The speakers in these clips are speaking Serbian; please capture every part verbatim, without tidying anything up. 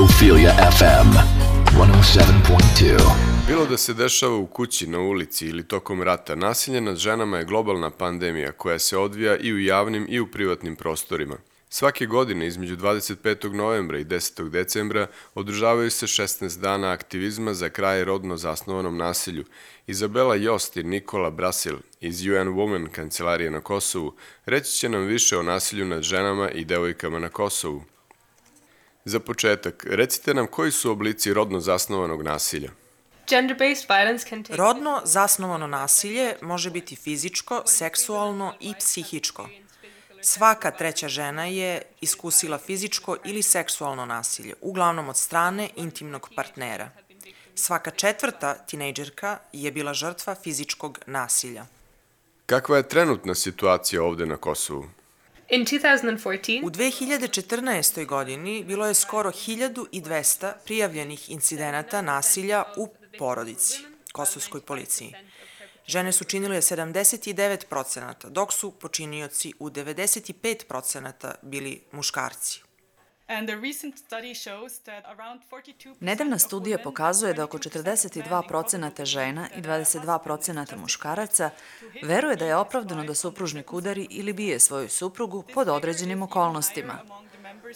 Ophelia F M one oh seven point two. Bilo da se dešava u kući, na ulici ili tokom rata, nasilje nad ženama je globalna pandemija koja se odvija i u javnim i u privatnim prostorima. Svake godine između dvadeset petog novembra i desetog decembra održavaju se šesnaest dana aktivizma za kraj rodno zasnovanom nasilju. Izabela Jost i Nikola Brasil iz U N Women kancelarije na Kosovu reći će nam više o nasilju nad ženama i devojkama na Kosovu. Za početak, recite nam koji su oblici rodno zasnovanog nasilja. Rodno zasnovano nasilje može biti fizičko, seksualno i psihičko. Svaka treća žena je iskusila fizičko ili seksualno nasilje, uglavnom od strane intimnog partnera. Svaka četvrta tinejdžerka je bila žrtva fizičkog nasilja. Kakva je trenutna situacija ovde na Kosovu? U dve hiljade četrnaestoj. godini bilo je skoro hiljadu dvesta prijavljenih incidenata nasilja u porodici, kosovskoj policiji. Žene su činile sedamdeset devet procenata, dok su počinioci u devedeset pet procenata bili muškarci. Nedavna studija pokazuje da oko četrdeset dva procenata žena i dvadeset dva procenata muškaraca veruje da je opravdano da supružnik udari ili bije svoju suprugu pod određenim okolnostima.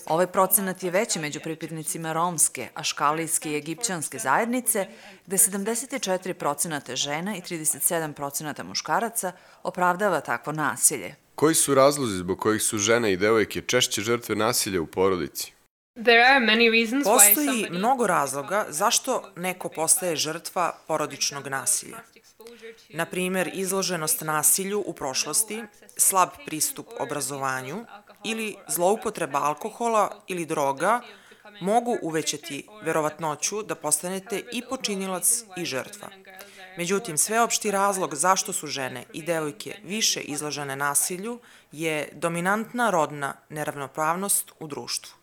Ovaj procenat je veći među pripadnicima romske, aškalijske i egipćanske zajednice, gde sedamdeset četiri procenata žena i trideset sedam procenata muškaraca opravdava takvo nasilje. Koji su razlozi zbog kojih su žene i devojke češće žrtve nasilja u porodici? Postoji mnogo razloga zašto neko postaje žrtva porodičnog nasilja. Na primer, izloženost nasilju u prošlosti, slab pristup obrazovanju ili zloupotreba alkohola ili droga mogu uvećati verovatnoću da postanete i počinilac i žrtva. Međutim, sveopšti razlog zašto su žene i devojke više izložene nasilju je dominantna rodna neravnopravnost u društvu.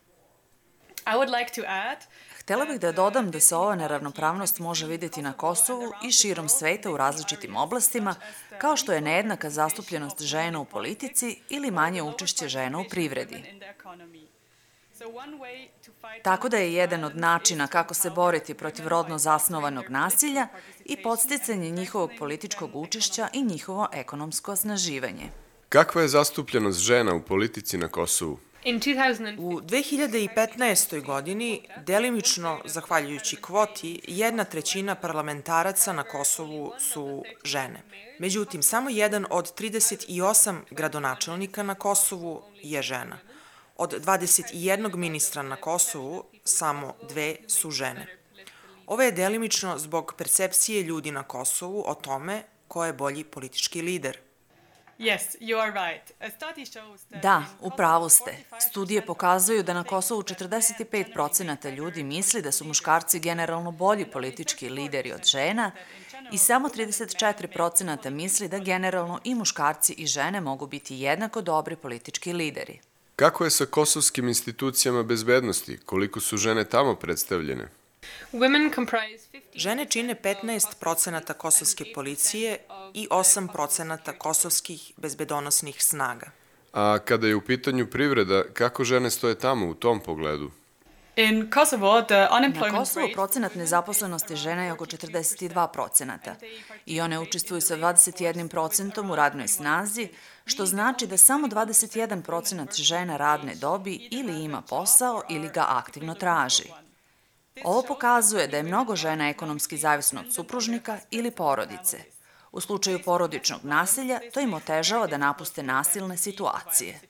Htela bih da dodam da se ova neravnopravnost može vidjeti na Kosovu i širom sveta u različitim oblastima, kao što je nejednaka zastupljenost žena u politici ili manje učešće žena u privredi. Tako da je jedan od načina kako se boriti protiv rodno zasnovanog nasilja i podsticanje njihovog političkog učešća i njihovo ekonomsko osnaživanje. Kakva je zastupljenost žena u politici na Kosovu? U dve hiljade petnaestoj. godini, delimično zahvaljujući kvoti, jedna trećina parlamentaraca na Kosovu su žene. Međutim, samo jedan od trideset osam gradonačelnika na Kosovu je žena. Od dvadeset jednog ministra na Kosovu, samo dve su žene. Ovo je delimično zbog percepcije ljudi na Kosovu o tome ko je bolji politički lider. Da, u pravu ste. Studije pokazuju da na Kosovu četrdeset pet procenata ljudi misli da su muškarci generalno bolji politički lideri od žena i samo trideset četiri procenata misli da generalno i muškarci i žene mogu biti jednako dobri politički lideri. Kako je sa kosovskim institucijama bezbednosti? Koliko su žene tamo predstavljene? Žene čine petnaest procenata kosovske policije i osam procenata kosovskih bezbedonosnih snaga. A kada je u pitanju privreda, kako žene stoje tamo u tom pogledu? Na Kosovu procenat nezaposlenosti žena je oko četrdeset dva procenata i one učestvuju sa dvadeset jedan procentom u radnoj snazi, što znači da samo dvadeset jedan procenat žena radne dobi ili ima posao ili ga aktivno traži. Ovo pokazuje da je mnogo žena ekonomski zavisno od supružnika ili porodice. U slučaju porodičnog nasilja, to im otežava da napuste nasilne situacije.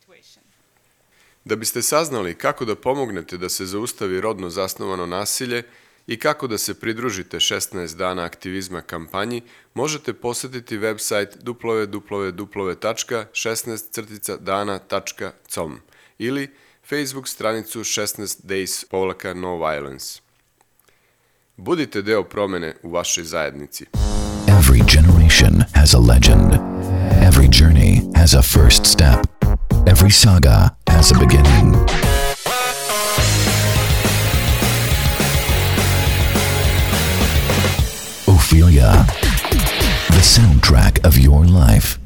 Da biste saznali kako da pomognete da se zaustavi rodno zasnovano nasilje i kako da se pridružite šesnaest dana aktivizma kampanji, možete posetiti website w w w tačka šesnaest dana tačka com ili Facebook stranicu šesnaest days no violence. Budite deo promene u vašoj zajednici. Every generation has a legend. Every journey has a first step. Every saga has a beginning. Ophelia, the soundtrack of your life.